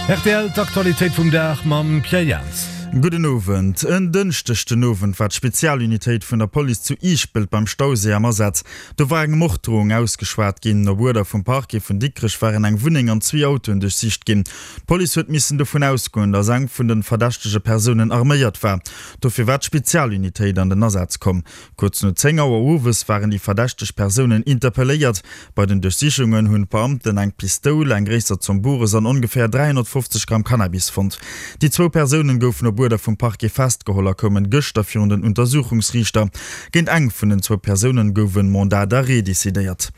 Rtl, D'Aktualitéit vum Dag mam Pierre Jans. Gudden Owend. En Dënschdeg den Owend war d'Spezialunitéit vun der Police zu Iischpelt beim Stauséi am Asaz. Do war eng Morddrohung ausgeschwat ginn. Op Uerder vum Parquet vun Dikrech waren eng Wunneng an zwee Autoen duerchsicht ginn. D'Police huet missen dovun ausgoen, datt eng vun de verdächtege Persounen arméiert war. Dofir war d'Spezialunitéit an den Asaz komm. Kuerz no 10 Auer owes waren déi verdächteg Persounen interpelléiert. Bei den Duerchsichungen hunn d'Beamten eng Pistoul, eng gréisser Zomm Bures an ongeféier 350 Gramm Cannabis fonnt. Déi zwou Persounen goufen op Uerder vum Parquet festgeholl a koumen gëschter virun den Untersuchungsriichter. Géint eng vun den zwou Persounen gouf en Mandat d'arrêt decidéiert.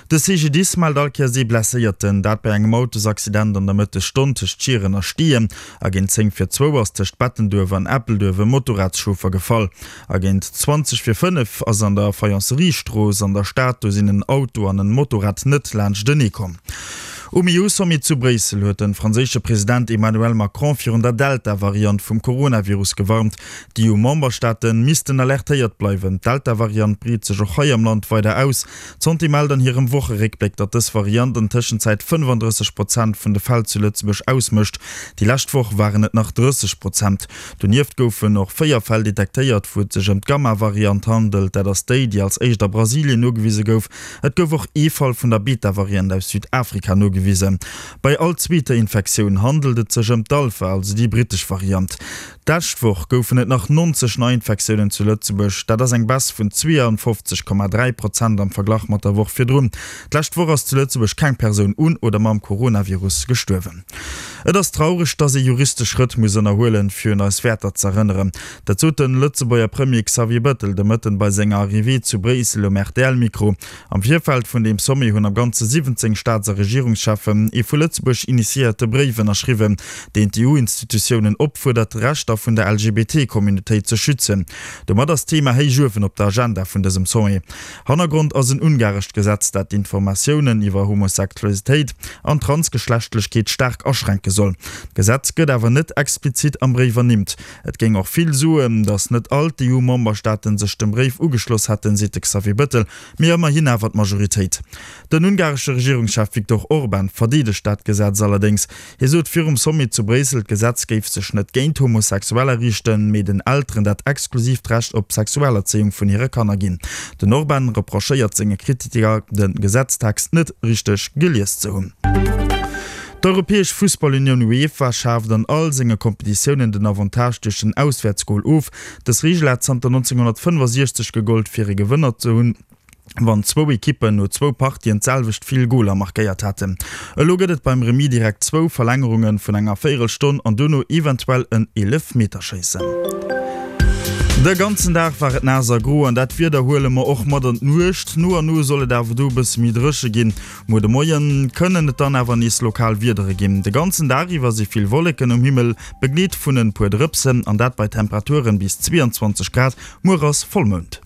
De CGDIS mellt all Kéiers ee Blesséierten, dat bei engem Autosaccident an der Mëttesstonn tëscht Schieren a Steeën. A géint 10 vir zwou ass tëscht Bettenduerf an Eppelduerf e Motorradschauffer gefall. A géint 20 vir 5 ass an der Faïencerie-Strooss an der Stad, do sinn en Auto an en Motorrad net laanschtenee komm. Um EU-Sommet zu Bréissel huet de franséische President Emmanuel Macron virun der Delta-Variant vum Coronavirus gewarnt. D'EU-Memberstaate missten alertéiert bleiwen. D'Delta-Variant breet sech och hei am Land weider aus. D'Santé mellt an hirem Wocheréckbléck, datt dës Variant an Tëschenzäit 35 Prozent vun de Fäll zu Lëtzebuerg ausmécht. Déi lescht Woch waren et nach 30 Prozent. Donieft goufen och 4 Fäll detektéiert, wou et sech ëm d'Gamma-Variant handelt, dat ass déi, déi als éischt a Brasilien nogewise gouf. Et gouf och ee Fall vun der Beta-Variant aus Südafrika nogewisen. Bei all zweeter Infektioun handelt et sech ëm d'Alpha, also déi brittesch Variant. D'lescht Woch goufen et nach 90 Neiinfektiounen zu Lëtzebuerg, dat ass eng Baisse vun 52,3 Prozent am Verglach mat der Woch virdrun. D'lescht Woch ass zu Lëtzebuerg keng Persoun un oder mam Coronavirus gestuerwen. Et ass traureg, datt ee juristesch Schrëtt muss ënnerhuelen, fir un eis Wäerter z'erënneren. Dat sot de Lëtzebuerger Premier Xavier Bettel de Mëtten bei senger Arrivée zu Bréissel um RTL-Mikro. Am Virfeld vun deem Sommet hunn am Ganze 17 Staats a Regierungscheffen ee vu Lëtzebuerg initiéierte Bréif ënnerschriwwen, deen d'EU-Institutiounen opfuerdert, d'Rechter vun der LGBT-Communautéit ze schützen. Domat ass d'Thema héich uewen op der Agenda vun dësem Sommet. Hannergrond ass en ungarescht Gesetz, dat d'Informatiounen iwwer Homosexualitéit an Transgeschlechtlechkeet staark aschränke soll. D'Gesetz gëtt awer net explizit am Bréif ernimmt. Et géing och vill soen, datt net all d'EU-Memberstaaten sech dem Bréif ugeschloss hätten, seet de Xavier Bettel, mee ëmmerhin awer d'Majoritéit. Den ungaresche Regierungschef Viktor Orban verdeedegt dat Gesetz allerdéngs. Hie sot virum Sommet zu Bréissel, d'Gesetz géif sech net géint Homosexueller riichten, mee den Elteren dat exklusiivt Recht op Sexualerzéiung vun hire Kanner ginn. Den Orban reprochéiert senge Kritiker, de Gesetztext net richteg gelies ze hunn. D'Europäesch Fussballunioun UEFA schaaft an all senge Kompetitiounen den Avantage duerch den Auswäertsgol of. Dës Reegel hat zanter 1965 gegollt, fir e Gewënner ze hunn. wann zwou Ekippen no zwou Partien d'selwecht vill Goler markéiert haten. Elo gëtt et beim Remis direkt zwou Verlängerunge vun enger Véierelstonn an dono eventuell en Eelefmeterschéissen. De ganzen Dag war et naass a gro an dat Wieder huele mer och mat an d'Nuecht. No an no soll et awer do e bësse méi dréche ginn. Muer de Moie kënnen et dann awer nees lokal Wiedere ginn. De ganzen Dag iwwer si vill Wolleken um Himmel, begleet vun en puer Drëpsen an dat bei Temperaturen bis 22 Grad. Muer ass Vollmound.